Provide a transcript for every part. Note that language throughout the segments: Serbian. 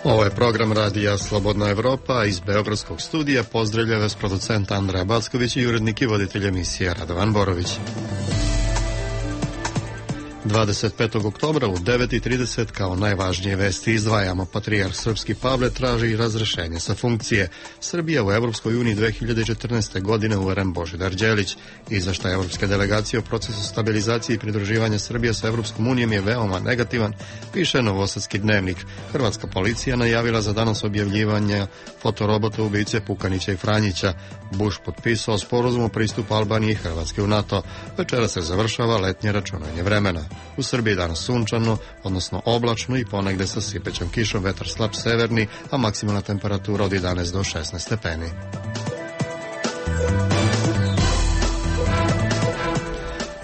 Ovo je program radija Slobodna Evropa. Iz Beogradskog studija pozdravlja vas producent Andreja Backović i urednik i voditelj emisije Radovan Borović. 25. oktobra u 9:30 kao najvažnije vesti izdvajamo: patrijarh srpski Pavle traži razrešenje sa funkcije. Srbija u Evropskoj uniji 2014. godine, uveren Božidar Đelić. Izveštaj evropske delegacije o procesu stabilizacije i pridruživanja Srbije sa Evropskom unijom je veoma negativan, piše Novosadski dnevnik. Hrvatska policija najavila za danas objavljivanje fotorobota ubice Pukanića i Franjića. Bush potpisao sporazum o pristupu Albanije i Hrvatske u NATO. Večera se završava letnje računanje vremena. U Srbiji danas sunčano, odnosno oblačno i ponegde sa sipećom kišom, vetar slab severni, a maksimalna temperatura od 11 do 16 stepeni.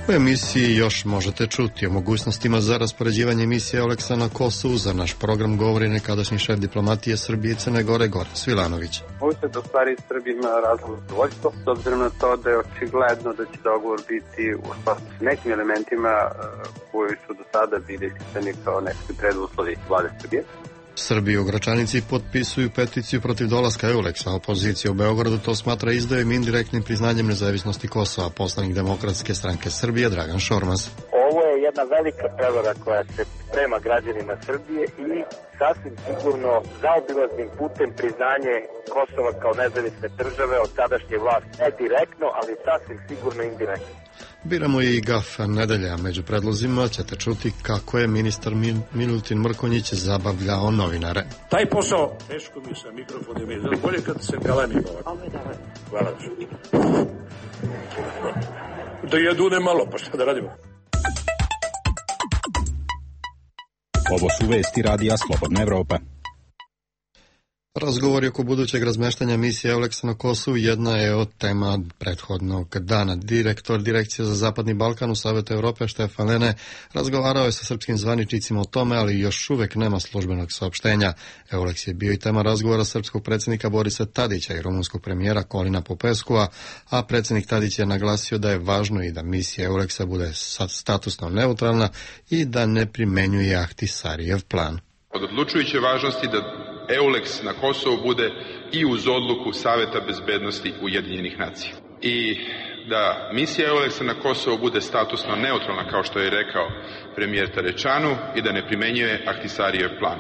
U emisiji još možete čuti o mogućnostima za raspoređivanje misije Euleksa na Kosovu. Za naš program govori nekadašnji šef diplomatije Srbije i Crne Gore, Goran Svilanović. Ovo se do stvari Srbija ima razlog zadovoljstvo, s obzirom na to da je očigledno da će dogovor biti u skladu s nekim elementima koji su do sada bili isticani kao neki preduslovi vlade Srbije. Srbi u Gračanici potpisuju peticiju protiv dolaska Euleksa. Opozicija u Beogradu to smatra izdajom indirektnim priznanjem nezavisnosti Kosova. Poslanik Demokratske stranke Srbije Dragan Šormaz. Ovo je jedna velika prevara koja se prema građanima Srbije i sasvim sigurno zaobilaznim putem priznanje Kosova kao nezavisne države od sadašnje vlasti. Ne direktno, ali sasvim sigurno indirektno. Biramo i gaf nedelja. Među predlozima ćete čuti kako je ministar Milutin Mrkonjić zabavljao novinare. Taj posao, teško mi sa mikrofonom je, bolje kad se galemi ovako. Hvala. Da jedu ne malo, pa šta da radimo? Ovo su vesti radija Slobodna Evropa. Razgovori oko budućeg razmeštanja misije Euleksa na Kosovu jedna je od tema prethodnog dana. Direktor Direkcije za Zapadni Balkan u Savetu Evrope Štefan Lene razgovarao je sa srpskim zvaničnicima o tome, ali još uvek nema službenog saopštenja. Euleks je bio i tema razgovora srpskog predsjednika Borisa Tadića i rumunskog premijera Kolina Popeskua, a predsjednik Tadić je naglasio da je važno i da misija Euleksa bude statusno neutralna i da ne primenjuje Ahtisarijev plan. Od odlučujuće važnosti da Euleks na Kosovu bude i uz odluku Saveta bezbednosti Ujedinjenih nacija. I da misija Euleksa na Kosovu bude statusno neutralna, kao što je rekao premijer Tarečanu, i da ne primenjuje Ahtisarijev plan.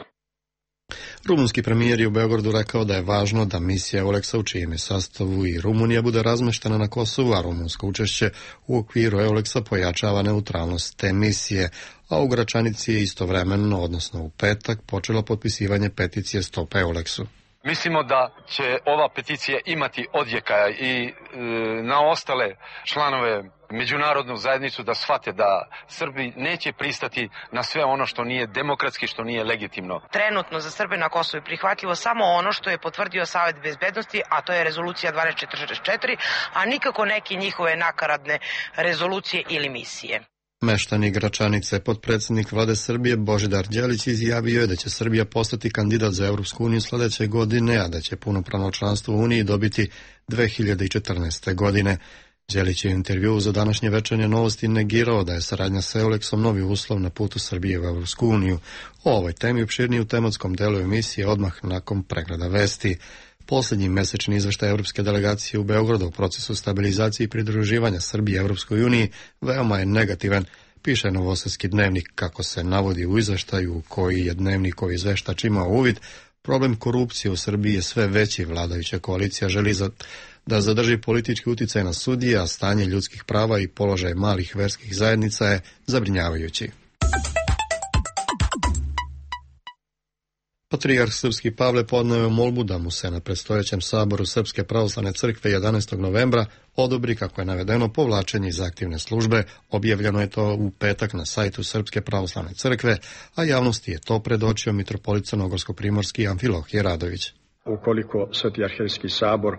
Rumunski premijer je u Beogradu rekao da je važno da misija Euleksa, u čijem je sastavu i Rumunija, bude razmeštena na Kosovu, a rumunsko učešće u okviru Euleksa pojačava neutralnost te misije. A u Gračanici je istovremeno, odnosno u petak, počelo potpisivanje peticije Stop Euleksu. Mislimo da će ova peticija imati odjeka i na ostale članove međunarodnu zajednicu da shvate da Srbi neće pristati na sve ono što nije demokratski, što nije legitimno. Trenutno za Srbe na Kosovu je prihvatljivo samo ono što je potvrdio Savet bezbednosti, a to je rezolucija 1244, a nikako neke njihove nakaradne rezolucije ili misije. Meštani Gračanice, potpredsjednik vlade Srbije Božidar Đelić izjavio je da će Srbija postati kandidat za Evropsku uniju sledeće godine, a da će punopravno članstvo u Uniji dobiti 2014. godine. Đelić je u intervjuu za današnje večernje novosti negirao da je saradnja sa Euleksom novi uslov na putu Srbije u Evropsku uniju. O ovoj temi opširnije u tematskom delu emisije odmah nakon pregleda vesti. Posljednji mesečni izveštaj Evropske delegacije u Beogradu u procesu stabilizacije i pridruživanja Srbije Evropskoj uniji veoma je negativan, piše Novosadski dnevnik. Kako se navodi u izveštaju koji je dnevnikov izveštač imao uvid, problem korupcije u Srbiji je sve veći. Vladajuća koalicija želi da zadrži politički uticaj na sudije, a stanje ljudskih prava i položaj malih verskih zajednica je zabrinjavajući. Patrijarh srpski Pavle podneo molbu da mu se na predstojećem saboru Srpske pravoslavne crkve 11. novembra odobri, kako je navedeno, povlačenje iz aktivne službe. Objavljeno je to u petak na sajtu Srpske pravoslavne crkve, a javnosti je to predočio mitropolit crnogorsko-primorski Amfilohije Radović. Ukoliko Sveti arhierejski sabor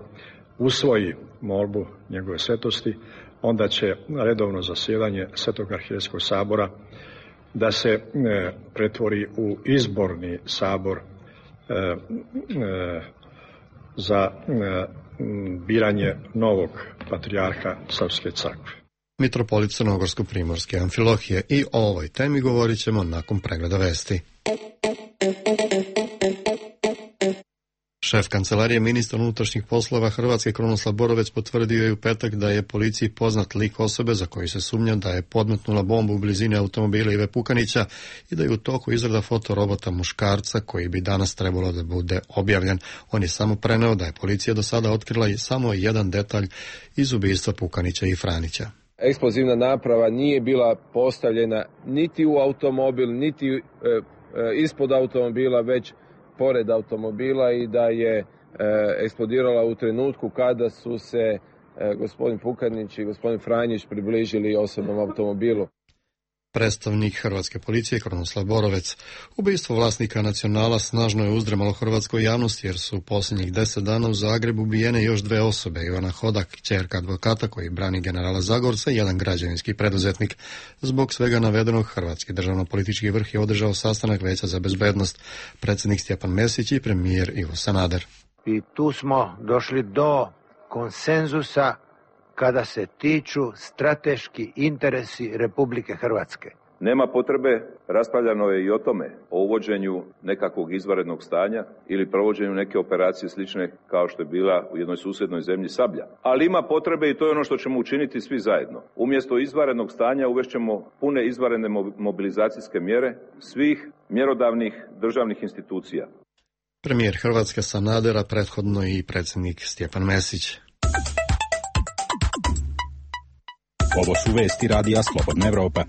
usvoji molbu njegove svetosti, onda će redovno zasjedanje Svetog arhierejskog sabora da se pretvori u izborni sabor za biranje novog patrijarha Srpske crkve. Mitropolit Crnogorsko-primorske Amfilohije, i o ovoj temi govorit ćemo nakon pregleda vesti. Šef kancelarije ministra unutrašnjih poslova Hrvatske Krunoslav Borovec potvrdio je u petak da je policiji poznat lik osobe za koju se sumnja da je podmetnula bombu u blizini automobila Ive Pukanića i da je u toku izrada fotorobota muškarca koji bi danas trebalo da bude objavljen. On je samo preneo da je policija do sada otkrila samo jedan detalj iz ubistva Pukanića i Franića. Eksplozivna naprava nije bila postavljena niti u automobil, niti ispod automobila, već pored automobila i da je eksplodirala u trenutku kada su se gospodin Pukanić i gospodin Franjić približili osobnom automobilu. Predstavnik hrvatske policije Krunoslav Borovec. Ubistvo vlasnika Nacionala snažno je uzdrmalo hrvatskoj javnosti jer su u posljednjih 10 dana u Zagrebu ubijene još 2 osobe, Ivana Hodak, kćerka advokata koji brani generala Zagorca i jedan građevinski preduzetnik. Zbog svega navedenog, hrvatski državno-politički vrh je održao sastanak Veća za bezbednost, predsjednik Stjepan Mesić i premijer Ivo Sanader. I tu smo došli do konsenzusa kada se tiču strateški interesi Republike Hrvatske. Nema potrebe, raspravljano je i o tome, o uvođenju nekakvog izvanrednog stanja ili provođenju neke operacije slične kao što je bila u jednoj susjednoj zemlji Sablja. Ali ima potrebe i to je ono što ćemo učiniti svi zajedno. Umjesto izvanrednog stanja uvešćemo pune izvanredne mobilizacijske mjere svih mjerodavnih državnih institucija. Premijer Hrvatske Sanadera, prethodno i predsjednik Stjepan Mesić. Ovo su vesti radija Slobodna Evropa.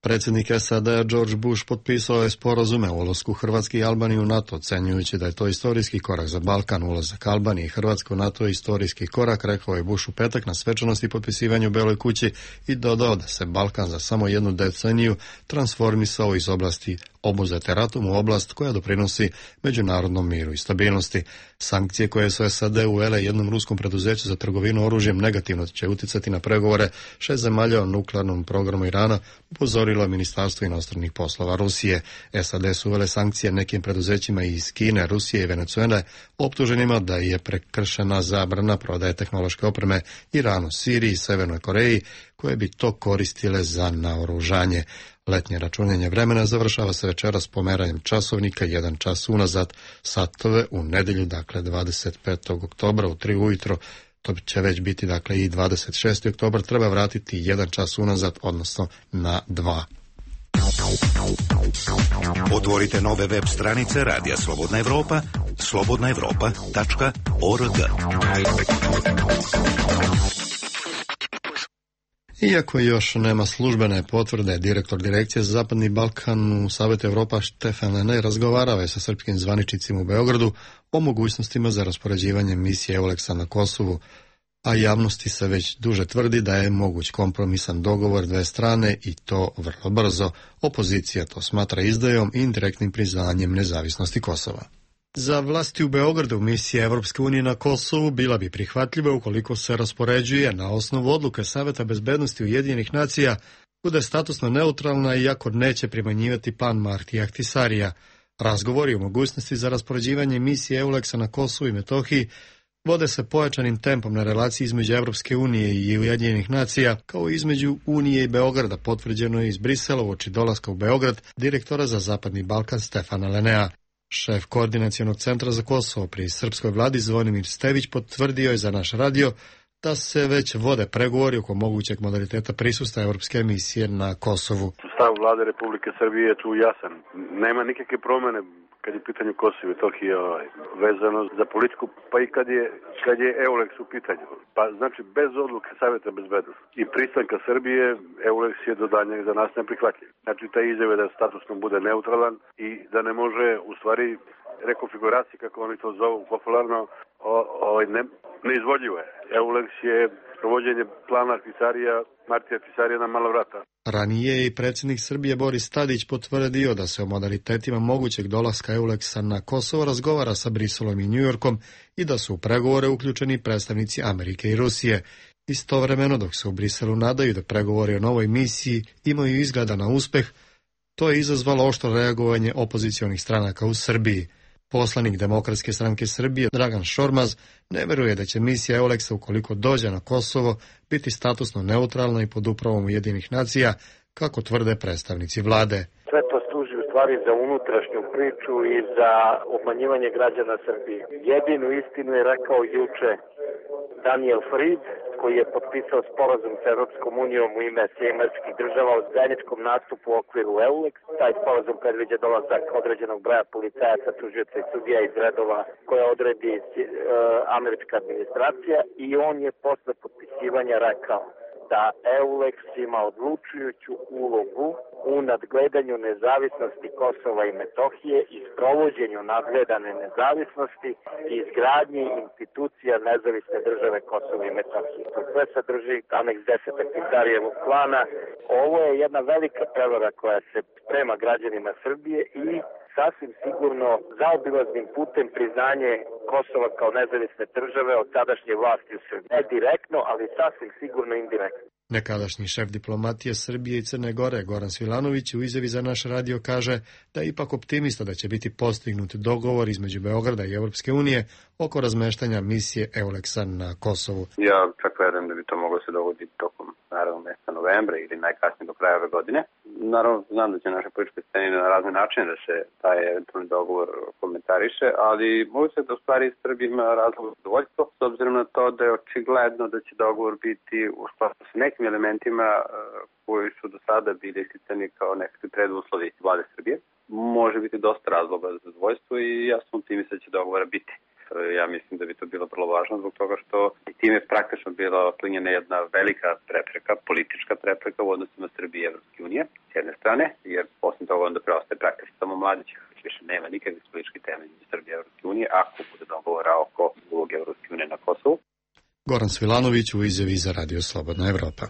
Predsjednik SAD-a George Bush potpisao je sporazume o ulasku Hrvatske i Albanije u NATO, ocenjujući da je to istorijski korak za Balkan. Ulazak Albanije i Hrvatske u NATO je istorijski korak, rekao je Bush u petak na svečanosti potpisivanja u Beloj kući i dodao da se Balkan za samo jednu deceniju transformisao iz oblasti obuzete ratom u oblast koja doprinosi međunarodnom miru i stabilnosti. Sankcije koje su SAD uvele jednom ruskom preduzeću za trgovinu oružjem negativno će uticati na pregovore 6 zemalja o nuklearnom programu Irana, upozorilo je Ministarstvo inostranih poslova Rusije. SAD su uvele sankcije nekim preduzećima iz Kine, Rusije i Venezuele, optuženima da je prekršena zabrana prodaje tehnološke opreme Iranu, Siriji i Severnoj Koreji, koje bi to koristile za naoružanje. Letnje računanje vremena završava se večeras pomeranjem časovnika 1 čas unazad, satove u nedjelju, dakle 25. oktobra u 3 ujutro. To će već biti dakle i 26. oktobar, treba vratiti 1 čas unazad, odnosno na 2. Otvorite nove web stranice Radija Slobodna Evropa, slobodnaevropa.org. Iako još nema službene potvrde, direktor Direkcije za Zapadni Balkan u Savetu Evropa Štefan Lene razgovarao je sa srpskim zvaničnicima u Beogradu o mogućnostima za raspoređivanje misije EULEX-a na Kosovu, a javnosti se već duže tvrdi da je moguć kompromisan dogovor dve strane i to vrlo brzo. Opozicija to smatra izdajom i indirektnim priznanjem nezavisnosti Kosova. Za vlasti u Beogradu misija Evropske unije na Kosovu bila bi prihvatljiva ukoliko se raspoređuje na osnovu odluke Saveta bezbednosti Ujedinjenih nacija, bude statusno neutralna iako neće primanjivati plan Marti Ahtisarija. Razgovori o mogućnosti za raspoređivanje misije EULEX-a na Kosovu i Metohiji vode se pojačanim tempom na relaciji između Evropske unije i Ujedinjenih nacija, kao i između Unije i Beograda, potvrđeno je iz Brisela uoči dolaska u Beograd direktora za Zapadni Balkan Stefana Lenea. Šef Koordinacionog centra za Kosovo pri srpskoj vladi Zvonimir Stević potvrdio je za naš radio da se već vode pregovori oko mogućeg modaliteta prisustva Evropske emisije na Kosovu. Stav vlade Republike Srbije je tu jasan. Nema nikakve promjene kad je pitanje Kosova i Metohije vezano za politiku, pa i kad je EULEX u pitanju. Pa znači bez odluke Saveta bezbednosti i pristanka Srbije EULEX je do daljnjeg za nas neprihvatljiv. Znači ta izjava da statusno bude neutralan i da ne može u stvari rekonfiguracija, kako oni to zovu popularno, neizvodljivo je. EULEX je provođenje plana Martija Ahtisarija na mala vrata. Ranije je i predsjednik Srbije Boris Tadić potvrdio da se o modalitetima mogućeg dolaska EULEX-a na Kosovo razgovara sa Briselom i Njujorkom i da su u pregovore uključeni predstavnici Amerike i Rusije. Istovremeno, dok se u Briselu nadaju da pregovori o novoj misiji imaju izgleda na uspeh, to je izazvalo oštro reagovanje opozicionih stranaka u Srbiji. Poslanik Demokratske stranke Srbije Dragan Šormaz ne veruje da će misija EULEX-a, ukoliko dođe na Kosovo, biti statusno neutralna i pod upravom Ujedinjenih nacija, kako tvrde predstavnici vlade. Sve to služi u stvari za unutrašnju priču i za obmanjivanje građana Srbije. Jedinu istinu je rekao juče Daniel Fried, koji je potpisao sporazum sa Europskom unijom u ime Sjedinjenih Država o zajedničkom nastupu u okviru EULEX. Taj sporazum predviđa dolazak određenog broja policajaca, tužioca i sudija iz redova koje odredi američka administracija, i on je posle potpisivanja rekao da EULEX ima odlučujuću ulogu u nadgledanju nezavisnosti Kosova i Metohije i sprovođenju nadgledane nezavisnosti i izgradnji institucija nezavisne države Kosova i Metohije. To sve sadrži aneks 10. Titarijevog plana. Ovo je jedna velika prevara koja se sprema građanima Srbije i sasvim sigurno zaobilaznim putem priznanje Kosova kao nezavisne države od sadašnje vlasti u Srbiji. Ne direktno, ali sasvim sigurno indirektno. Nekadašnji šef diplomatije Srbije i Crne Gore Goran Svilanović u izjavi za naš radio kaže da je ipak optimista da će biti postignut dogovor između Beograda i Evropske unije oko razmeštanja misije EULEX-a na Kosovu. Ja čak verujem da bi to moglo se dogoditi tokom naravno mjeseca novembra ili najkasnije do kraja ove godine. Naravno, znam da će naše političke scene na razne načine da se taj eventualni dogovor komentariše, ali mogu se da u stvari Srbija ima razlog zadovoljstvo, s obzirom na to da je očigledno da će dogovor biti u skladu sa nekim elementima koji su do sada bili isticani kao nekakvi preduslovi vlade Srbije. Može biti dosta razloga za zadovoljstvo i ja sam optimista da će dogovora biti. Ja mislim da bi to bilo vrlo važno zbog toga što time je praktično bila otklonjena jedna velika prepreka, politička prepreka u odnosima Srbije i Evropske unije s jedne strane, jer poslije toga onda preostaje praktično samo Mladića, više nema nikakvih političkih temelja iz Srbije i Evropske unije ako bude dogovora oko uloge Evropske unije na Kosovu. Goran Svilanović u izjavi za Radio Slobodna Evropa.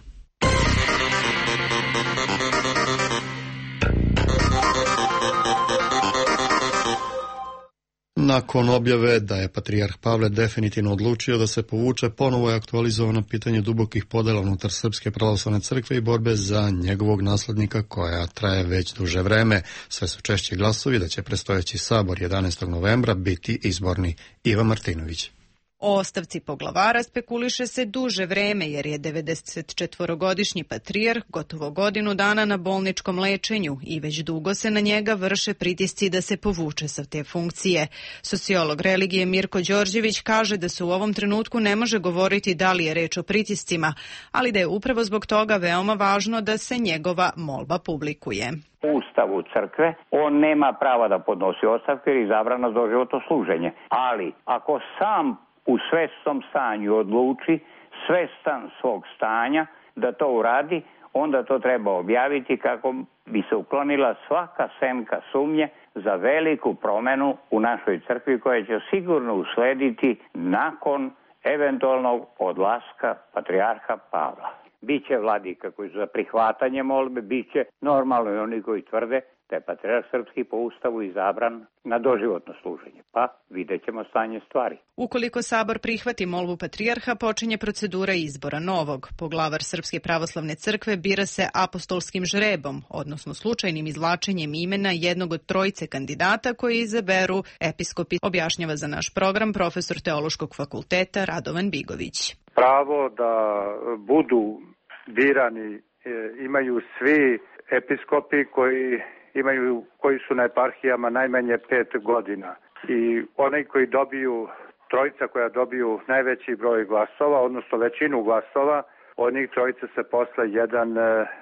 Nakon objave da je patrijarh Pavle definitivno odlučio da se povuče, ponovo je aktualizovano pitanje dubokih podela unutar Srpske pravoslavne crkve i borbe za njegovog naslednika koja traje već duže vreme. Sve su češći glasovi da će predstojeći sabor 11. novembra biti izborni. Iva Martinović. O ostavci poglavara spekuliše se duže vreme jer je 94-godišnji patrijarh gotovo godinu dana na bolničkom lečenju i već dugo se na njega vrše pritisci da se povuče sa te funkcije. Sociolog religije Mirko Đorđević kaže da se u ovom trenutku ne može govoriti da li je reč o pritiscima, ali da je upravo zbog toga veoma važno da se njegova molba publikuje. U Ustavu crkve on nema prava da podnosi ostavke jer je izabrano za doživotno služenje. Ali ako sam u svesnom stanju odluči, svestan svog stanja da to uradi, onda to treba objaviti kako bi se uklonila svaka senka sumnje za veliku promenu u našoj crkvi koja će sigurno uslediti nakon eventualnog odlaska patrijarha Pavla. Biće vladika koji su za prihvatanje molbe, biće normalno i oni koji tvrde da je patrijarh srpski po Ustavu izabran na doživotno služenje. Pa vidjet ćemo stanje stvari. Ukoliko sabor prihvati molbu patrijarha, počinje procedura izbora novog. Poglavar Srpske pravoslavne crkve bira se apostolskim žrebom, odnosno slučajnim izvlačenjem imena jednog od trojice kandidata koji izaberu episkopi, objašnjava za naš program profesor Teološkog fakulteta Radovan Bigović. Pravo da budu birani imaju svi episkopi koji su na eparhijama najmanje 5 godina. I oni koji dobiju, trojica koja dobiju najveći broj glasova, odnosno većinu glasova, od njih trojica se posle jedan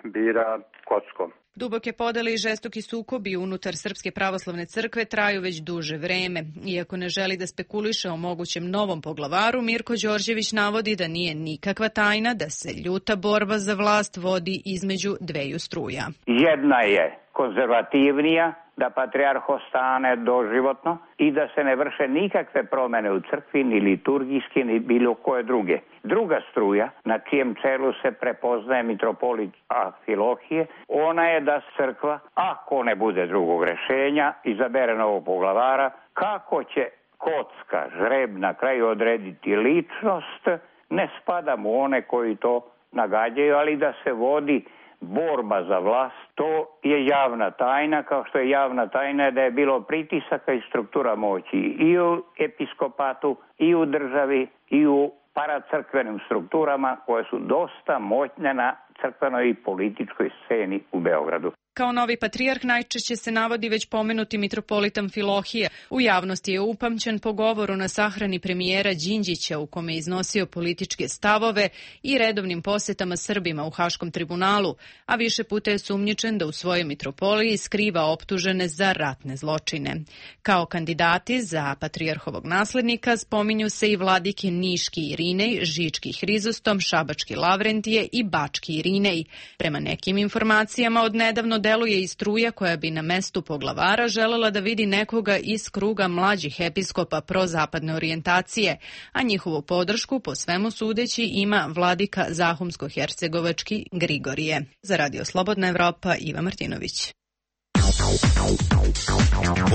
bira kockom. Duboke podele i žestoki sukobi unutar Srpske pravoslavne crkve traju već duže vreme. Iako ne želi da spekuliše o mogućem novom poglavaru, Mirko Đorđević navodi da nije nikakva tajna da se ljuta borba za vlast vodi između dveju struja. Jedna je konzervativnija, da patrijarh ostane doživotno i da se ne vrše nikakve promene u crkvi, ni liturgijske, ni bilo koje druge. Druga struja, na čijem čelu se prepoznaje mitropolit Amfilohije, ona je da crkva, ako ne bude drugog rešenja, izabere novog poglavara, kako će kocka, žreb na kraju odrediti ličnost, ne spada mu one koji to nagađaju, ali da se vodi borba za vlast, to je javna tajna, kao što je javna tajna da je bilo pritisaka i struktura moći i u episkopatu, i u državi, i u paracrkvenim strukturama koje su dosta moćne na crkvenoj i političkoj sceni u Beogradu. Kao novi patrijarh najčešće se navodi već pomenuti mitropolit Amfilohije. U javnosti je upamćen po govoru na sahrani premijera Đinđića u kome je iznosio političke stavove i redovnim posetama Srbima u Haškom tribunalu, a više puta je sumnjičen da u svojoj mitropoliji skriva optužene za ratne zločine. Kao kandidati za patrijarhovog naslednika spominju se i vladike Niški Irinej, Žički Hrizostom, Šabački Lavrentije i Bački Irinej. Prema nekim informacijama od nedavno deluje i struja koja bi na mestu poglavara želela da vidi nekoga iz kruga mlađih episkopa prozapadne orijentacije, a njihovu podršku po svemu sudeći ima vladika Zahumsko-hercegovački Grigorije. Za Radio Slobodna Evropa, Iva Martinović.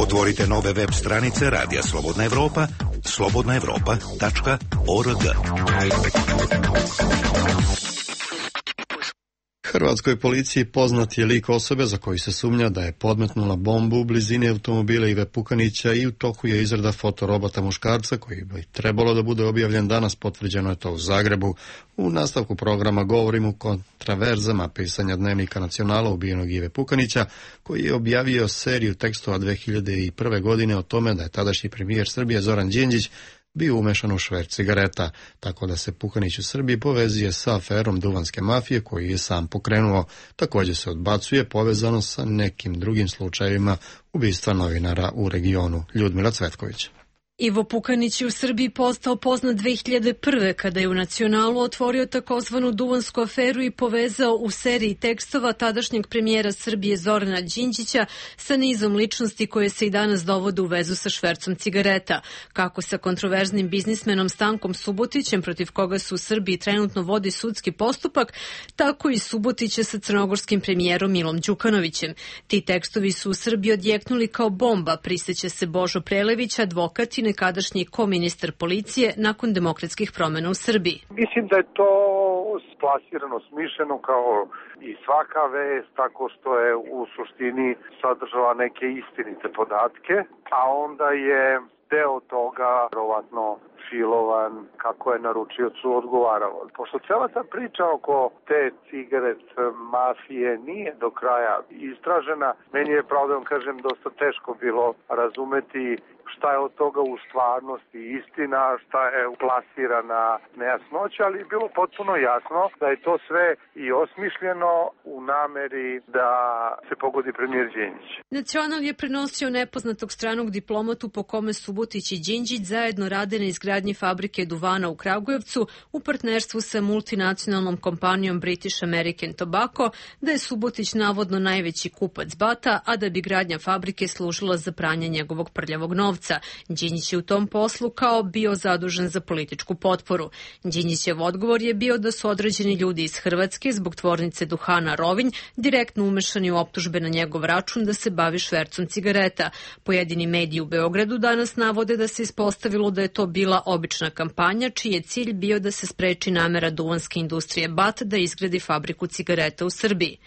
Otvorite nove web stranice Radija Slobodna Evropa, slobodnaevropa.org. Hrvatskoj policiji poznat je lik osobe za koju se sumnja da je podmetnula bombu u blizini automobila Ive Pukanića i u toku je izrada fotorobota muškarca koji bi trebalo da bude objavljen danas, potvrđeno je to u Zagrebu. U nastavku programa govorimo o kontraverzama pisanja dnevnika Nacionala ubijenog Ive Pukanića, koji je objavio seriju tekstova 2001. godine o tome da je tadašnji premijer Srbije Zoran Đinđić bio umešan u šverc cigareta, tako da se Pukanić u Srbiji povezuje sa aferom duvanske mafije koju je sam pokrenuo. Također se odbacuje povezano sa nekim drugim slučajevima ubistva novinara u regionu. Ljudmila Cvetković. Ivo Pukanić je u Srbiji postao poznat 2001. kada je u Nacionalu otvorio takozvanu duvansku aferu i povezao u seriji tekstova tadašnjeg premijera Srbije Zorana Đinđića sa nizom ličnosti koje se i danas dovode u vezu sa švercom cigareta, kako sa kontroverznim biznismenom Stankom Subotićem, protiv koga se u Srbiji trenutno vodi sudski postupak, tako i Subotića sa crnogorskim premijerom Milom Đukanovićem. Ti tekstovi su u Srbiji odjeknuli kao bomba, priseća se Božo Prelević, advokat i nekadašnji koministar policije nakon demokratskih promjena u Srbiji. Mislim da je to splasirano, smišljeno kao i svaka vest, tako što je u suštini sadržala neke istinite podatke, a onda je deo toga verovatno filovan kako je naručiocu odgovaralo. Pošto cela ta priča oko te cigaret mafije nije do kraja istražena, meni je, pravo da vam kažem, dosta teško bilo razumeti šta je od toga u stvarnosti istina, šta je plasirana nejasnoća, ali je bilo potpuno jasno da je to sve i osmišljeno u nameri da se pogodi premijer Đinđić. Nacional je prenosio nepoznatog stranog diplomatu po kome Subotić i Đinđić zajedno rade na izgradnji fabrike duvana u Kragujevcu u partnerstvu sa multinacionalnom kompanijom British American Tobacco, da je Subotić navodno najveći kupac bata, a da bi gradnja fabrike služila za pranje njegovog prljavog novca. Đinđić je u tom poslu kao bio zadužen za političku potporu. Đinđićev odgovor je bio da su određeni ljudi iz Hrvatske zbog tvornice duhana Rovinj direktno umešani u optužbe na njegov račun da se bavi švercom cigareta. Pojedini mediji u Beogradu danas navode da se ispostavilo da je to bila obična kampanja čiji je cilj bio da se spreči namera duvanske industrije BAT da izgradi fabriku cigareta u Srbiji.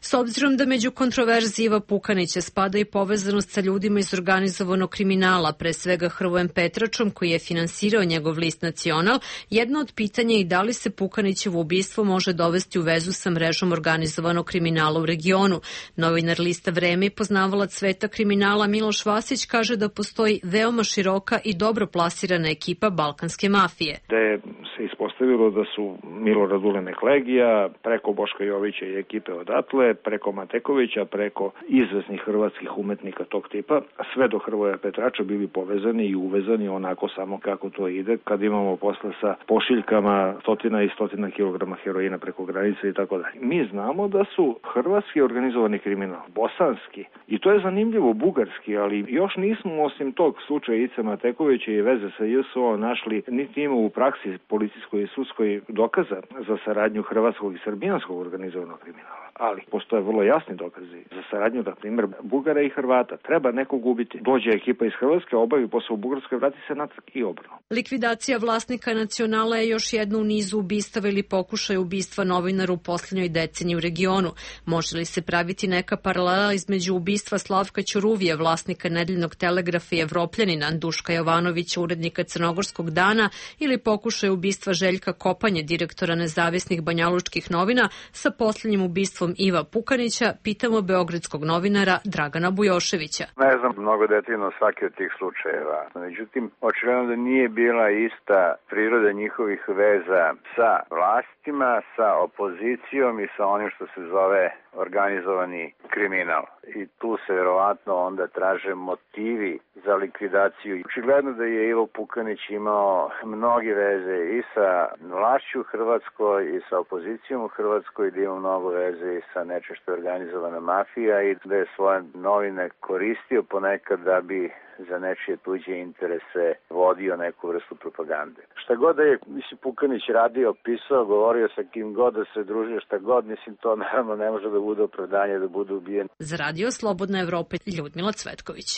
S obzirom da među kontroverzi Iva Pukanića spada i povezanost sa ljudima iz organizovanog kriminala, pre svega Hrvojem Petračom koji je finansirao njegov list Nacional, jedno od pitanja je i da li se Pukanićevo ubistvo može dovesti u vezu sa mrežom organizovanog kriminala u regionu. Novinar lista Vreme i poznavalac sveta kriminala Miloš Vasić kaže da postoji veoma široka i dobro plasirana ekipa balkanske mafije. Da je se ispostavilo da su Milorad Ulemek Legija, preko Boška Jovića i ekipe odatle, preko Matekovića, preko izvesnih hrvatskih umetnika tog tipa, sve do Hrvoja Petrača bili povezani i uvezani onako samo kako to ide, kad imamo posla sa pošiljkama stotina i stotina kilograma heroina preko granice i tako dalje. Mi znamo da su hrvatski organizovani kriminal, bosanski, i to je zanimljivo, bugarski, ali još nismo osim tog slučaja Ice Matekovića i veze sa JSO našli, niti ima u praksi policijskoj i sudskoj dokaza za saradnju hrvatskog i srbijanskog organizovanog kriminala. ali postoje vrlo jasni dokazi za saradnju, na primjer, Bugara i Hrvata. Treba nekog ubiti. Dođe ekipa iz Hrvatske, obavi posao u Bugarskoj, vrati se natrag i obrnuto. Likvidacija vlasnika Nacionala je još jedno u nizu ubistava ili pokušaja ubistva novinara u posljednjoj deceniji u regionu. Može li se praviti neka paralela između ubistva Slavka Ćuruvija, vlasnika Nedeljnog telegrafa i Evropljanina, Duška Jovanovića, urednika Crnogorskog dana, ili pokušaj ubistva Željka Kopanje, direktora nezavisnih banjalučkih novina, sa posljednjim ubistvom Iva Pukanića, pitamo beogradskog novinara Dragana Bujoševića. Ne znam mnogo detaljno svaki od tih slučajeva. Međutim, očigledno da nije bila ista priroda njihovih veza sa vlastima, sa opozicijom i sa onim što se zove organizovani kriminal. I tu se verovatno onda traže motivi za likvidaciju. Očigledno da je Ivo Pukanić imao mnoge veze i sa vlašću u Hrvatskoj i sa opozicijom u Hrvatskoj, da ima mnogo veze i sa nečim što je organizovana mafija i da je svoje novine koristio ponekad da bi za nečije tuđe interese vodio neku vrstu propagande. Šta god da je Pukanić radio, pisao, govorio sa kim god da se družio, šta god, to naravno ne može da bude opravdanje da bude ubijen. Za Radio Slobodna Evropa, Ljudmila Cvetković.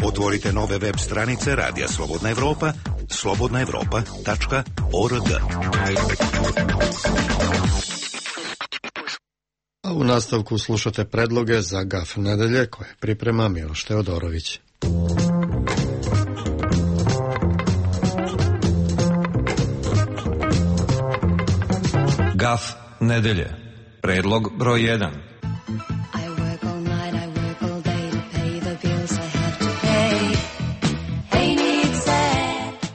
Otvorite nove web stranice Radija Slobodna Evropa, slobodnaevropa.org. A u nastavku slušate predloge za GAF nedelje koje priprema Miloš Teodorović. GAF nedelje. Predlog broj 1.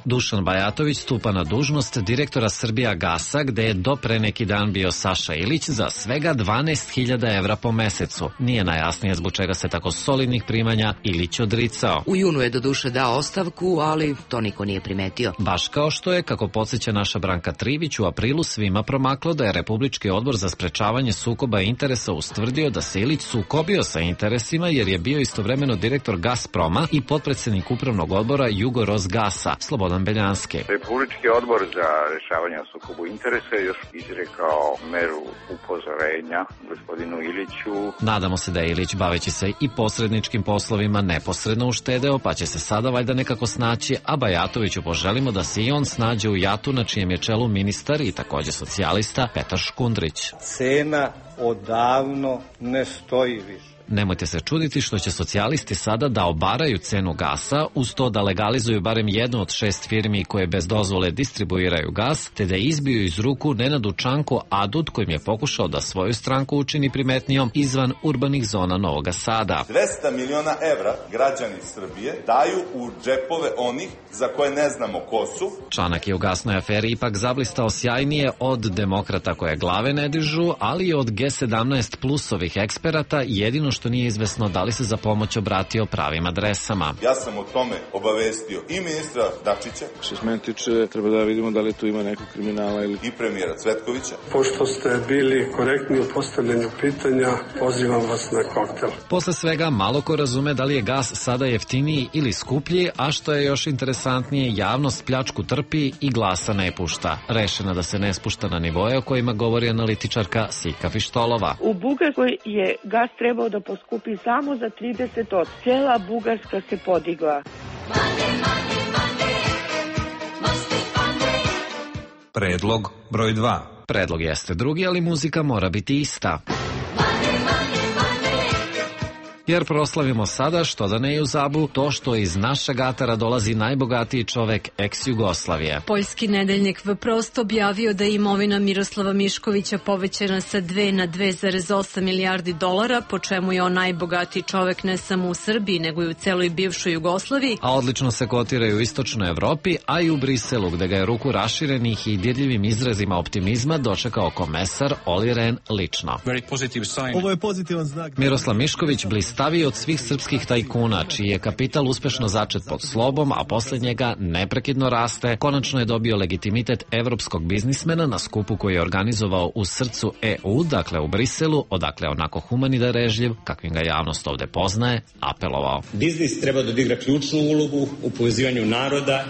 Dušan Bajatović stupa na dužnost direktora Srbijagasa, gde je do pre neki dan bio Saša Ilić, za svega 12.000 evra po mesecu. Nije najjasnije zbog čega se tako solidnih primanja Ilić odricao. U junu je do duše dao ostavku, ali to niko nije primetio. Baš kao što je, kako podsjeća naša Branka Trivić, u aprilu svima promaklo da je Republički odbor za sprečavanje sukoba interesa ustvrdio da se Ilić sukobio sa interesima jer je bio istovremeno direktor Gasproma i potpredsednik upravnog odbora Jugorosgasa. Slobodan Beljanski. Republički odbor za rešavanje o sukobu interesa je još izrekao meru upozorenja gospodinu Iliću. Nadamo se da je Ilić, baveći se i posredničkim poslovima, neposredno uštedeo, pa će se sada valjda nekako snaći, a Bajatoviću poželimo da se i on snađe u JAT-u, na čijem je čelu ministar i takođe socijalista Petar Škundrić. Cena odavno ne stoji više. Nemojte se čuditi što će socijalisti sada da obaraju cenu gasa, uz to da legalizuju barem jednu od 6 firmi koje bez dozvole distribuiraju gas, te da izbiju iz ruku Nenadu Čanku Adut, kojim je pokušao da svoju stranku učini primetnijom izvan urbanih zona Novog Sada. 200 miliona evra građani Srbije daju u džepove onih za koje ne znamo ko su. Čanak je u gasnoj aferi ipak zablistao sjajnije od demokrata koje glave ne dižu, ali i od G17 plusovih eksperata, jedino što nije izvesno da li se za pomoć obratio pravim adresama. Ja sam o tome obavestio i ministra Dačića. Što se mene tiče, treba da vidimo da li tu ima nekog kriminala ili... i premijera Cvetkovića. Pošto ste bili korektni u postavljanju pitanja, pozivam vas na koktel. Posle svega, malo ko razume da li je gas sada jeftiniji ili skuplji, a što je još interesantnije, javnost pljačku trpi i glasa ne pušta. Rešena da se ne spušta na nivoje o kojima govori analitičarka Sika Fištolova. U Bugarskoj je gas trebao da poskupi samo za 30%. Cela Bugarska se podigla. Predlog broj 2. Predlog jeste drugi, ali muzika mora biti ista. Jer proslavimo sada, što da ne i u Zabu, to što iz našeg atara dolazi najbogatiji čovek ex-Jugoslavije. Poljski nedeljnik Vprost objavio da je imovina Miroslava Miškovića povećana sa 2 na 2,8 milijardi dolara, po čemu je on najbogatiji čovek ne samo u Srbiji, nego i u celoj bivšoj Jugoslaviji. A odlično se kotira i u istočnoj Evropi, a i u Briselu, gde ga je ruku raširenih i dirljivim izrazima optimizma dočekao komesar Oli Rehn lično. Ovo je pozitivan znak. Miroslav Mišković blistaviji od svih srpskih tajkuna, čiji je kapital uspešno začet pod slobom, a posle njega neprekidno raste, konačno je dobio legitimitet evropskog biznismena na skupu koji je organizovao u srcu EU, dakle u Briselu, odakle onako human i darežljiv, kakvim ga javnost ovde poznaje, apelovao. Biznis treba da odigra ključnu ulogu u povezivanju naroda.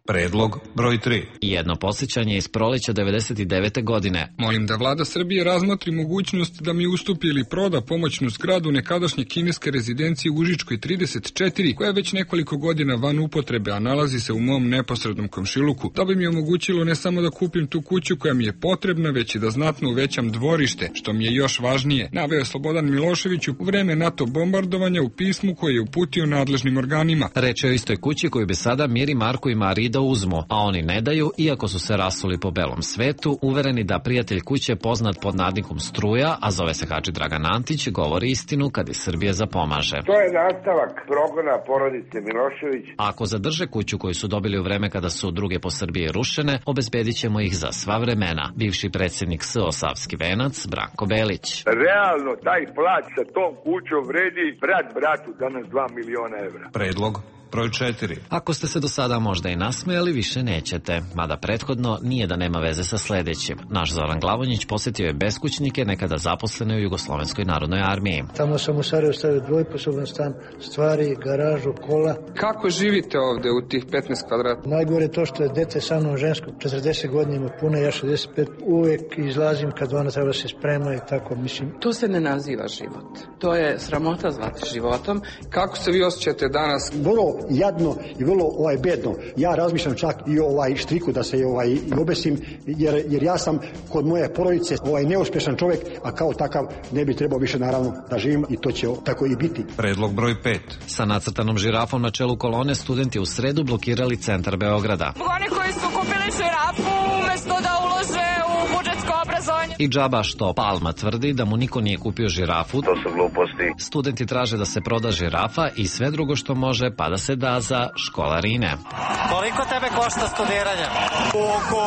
Predlog broj 3. Jedno podsjećanje iz proleća 99. godine. Molim da vlada Srbije razmotri mogućnost da mi ustupi ili proda pomoćnu zgradu nekadašnje kineske rezidencije u Užičkoj 34, koja je već nekoliko godina van upotrebe, a nalazi se u mom neposrednom komšiluku. To bi mi omogućilo ne samo da kupim tu kuću koja mi je potrebna, već i da znatno uvećam dvorište, što mi je još važnije, naveo Slobodan Milošević u vreme NATO bombardovanja u pismu koje je uputio nadležnim organima. Reč je o istoj kući koju bi sada Miri, Marko i Mari da uzmu, a oni ne daju, iako su se rasuli po belom svetu, uvereni da prijatelj kuće poznat pod nadnikom Struja, a zove se Hadži Dragan Antić, govori istinu kad iz Srbije zapomaže. To je nastavak progona porodice Milošević. Ako zadrže kuću koju su dobili u vreme kada su druge po Srbiji rušene, obezbedit ćemo ih za sva vremena. Bivši predsjednik SO Savski venac, Branko Belić. Realno, taj plac sa tom kućom vredi brat bratu danas 2 miliona evra. Predlog broj 4. Ako ste se do sada možda i nasmejali, više nećete. Mada prethodno nije da nema veze sa sledećim. Naš Zoran Glavonjić posjetio je beskućnike nekada zaposlene u Jugoslovenskoj narodnoj armiji. Tamo sam u Sarajevu stavio dvojposoban stan, stvari, garažu, kola. Kako živite ovde u tih 15 kvadrata? Najgore je to što je dete sa mnom žensko, 40 godina ima pune, ja 65. Uvek izlazim kad ona treba se sprema i tako, mislim. To se ne naziva život. To je sramota zvati životom. Kako se vi osjećate danas? Vrlo jadno i vrlo bedno. Ja razmišljam čak i štriku da se i obesim, jer ja sam kod moje porodice neuspješan čovjek, a kao takav ne bi trebao više naravno da živim i to će tako i biti. Predlog broj 5. Sa nacrtanom žirafom na čelu kolone studenti u sredu blokirali centar Beograda. Oni koji su kupili žirafu umesto da ulože u budžetsko obrazovanje. I džaba što Palma tvrdi da mu niko nije kupio žirafu. To su gluposti. Studenti traže da se proda žirafa i sve drugo što može, pa da se da za školarine. Koliko tebe košta studiranje? Oko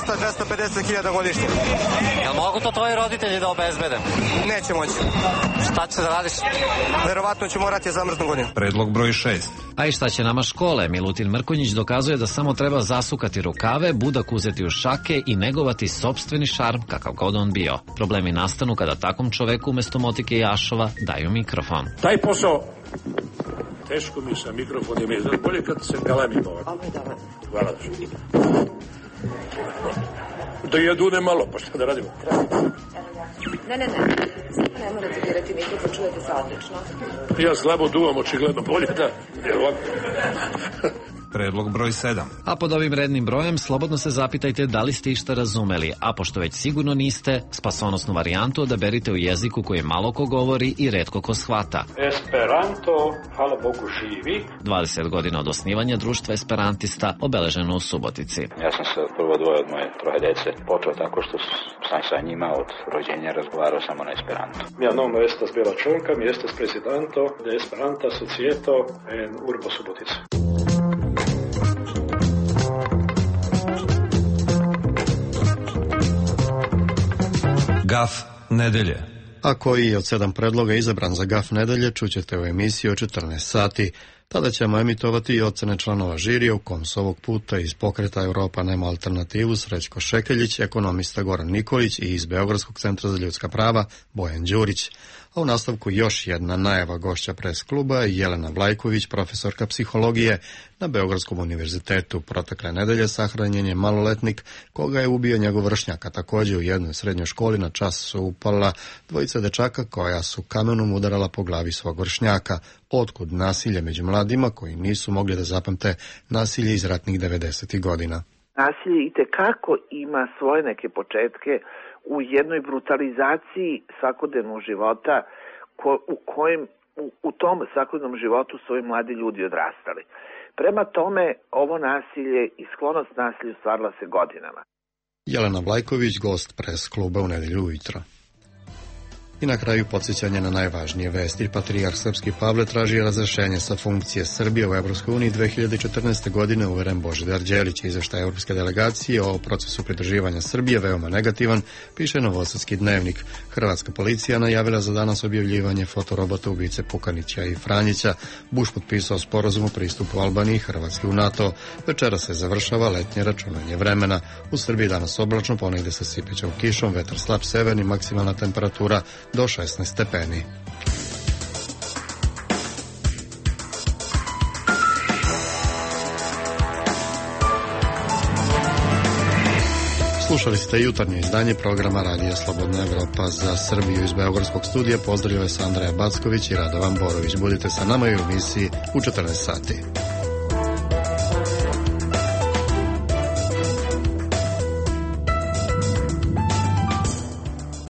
200-250 hiljada godišnje. Jel mogu to tvoji roditelji da obezbede? Neće moći. Šta ćeš da radiš? Verovatno ću morati zamrznu godinu. Predlog broj 6. A i šta će nama škole? Milutin Mrkonjić dokazuje da samo treba zasukati rukave, budak uzeti u šake i negovati sopstveni šarm, kakav god on bio. Problemi nastanu kada takvom čoveku umesto motike i ašova daju mikrofon. Taj posao teško mi sa mikrofonima je bolje kad se galamim ovako. Hvala. Da ja dunem malo, pa šta da radimo? Ne. Ne morate dirati mikrofon, čujete se odlično. Ja slabo duvam, očigledno bolje da je ovako. Predlog broj 7. A pod ovim rednim brojem slobodno se zapitajte da li ste išta razumeli, a pošto već sigurno niste, spasonosnu varijantu odaberite u jeziku koji malo ko govori i retko ko shvata. Esperanto, hvala Bogu, živi. 20 godina od osnivanja društva esperantista obeleženo u Subotici. Ja sam se prvo dvoje od moje troje dece počeo tako što sam sa njima od rođenja razgovarao samo na esperanto. Mia nome estas Bela Čonka, mi estes presidento de Esperanta Societo en Urbo Subotica. Gaf nedelje. A koji je od 7 predloga izabran za Gaf nedelje čućete u emisiji o 14 sati. Tada ćemo emitovati i ocene članova žirija u kom s ovog puta iz Pokreta Europa nema alternativu Srećko Šekeljić, ekonomista Goran Nikolić i iz Beogradskog centra za ljudska prava Bojan Đurić. A u nastavku još jedna najava gošća pres kluba Jelena Vlajković, profesorka psihologije na Beogradskom univerzitetu. Protekle nedelje sahranjen je maloletnik koga je ubio njegov vršnjak, a također u jednoj srednjoj školi na čas su upala dvojica dečaka koja su kamenom udarala po glavi svog vršnjaka. Otkud nasilje među mladima koji nisu mogli da zapamte nasilje iz ratnih 90. godina? Nasilje itekako ima svoje neke početke u jednoj brutalizaciji svakodnevnog života u tom svakodnevnom životu su ovi mladi ljudi odrastali. Prema tome, ovo nasilje i sklonost nasilju stvarala se godinama. Jelena Vlajković, gost pres kluba u nedelju ujutro. I na kraju podsjećanje na najvažnije vesti. Patrijarh Srpski Pavle traži razrešenje sa funkcije Srbije u Evropskoj uniji 2014. godine, uveren Božidar Đelić. Izveštaj Evropske delegacije o procesu pridruživanja Srbije veoma negativan, piše Novosadski dnevnik. Hrvatska policija najavila za danas objavljivanje fotorobota ubice Pukanića i Franjića. Bush potpisao sporazum o pristupu Albaniji i Hrvatske u NATO. Večera se završava letnje računanje vremena. U Srbiji danas oblačno, ponegde sa sipećom kišom, vetar slab severni, maksimalna temperatura do 16 stepeni. Slušali ste jutarnje izdanje programa Radija Slobodna Evropa za Srbiju. Iz Beogradskog studija pozdravljaju vas Andreja Backović i Radovan Borović. Budite sa nama i u emisiji u 14 sati.